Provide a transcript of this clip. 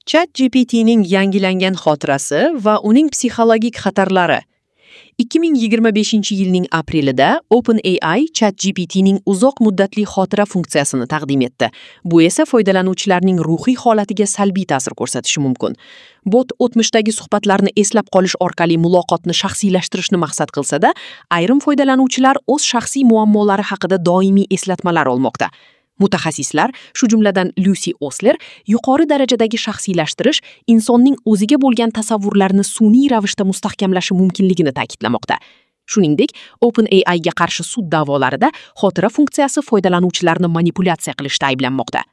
ChatGPTning yangilangan xotirasi va uning psixologik xatarlari. 2025-yilning aprelida OpenAI ChatGPTning uzoq muddatli xotira funksiyasini taqdim etdi. Bu esa foydalanuvchilarning ruhiy holatiga salbiy ta'sir ko'rsatishi mumkin. Bot o'tmishdagi suhbatlarni eslab qolish orqali muloqotni shaxsiylashtirishni maqsad qilsa-da, ayrim foydalanuvchilar o'z shaxsiy muammolari haqida doimiy eslatmalar olmoqda. Mutaxassislar, shu jumladan Lyusi Osler, yuqori darajadagi shaxsiylashtirish insonning o'ziga bo'lgan tasavvurlarini sun'iy ravishda mustahkamlashi mumkinligini ta'kidlamoqda. Shuningdek, OpenAI ga qarshi sud da'volarida xotira funksiyasi foydalanuvchilarni manipulyatsiya qilishda ayblanmoqda.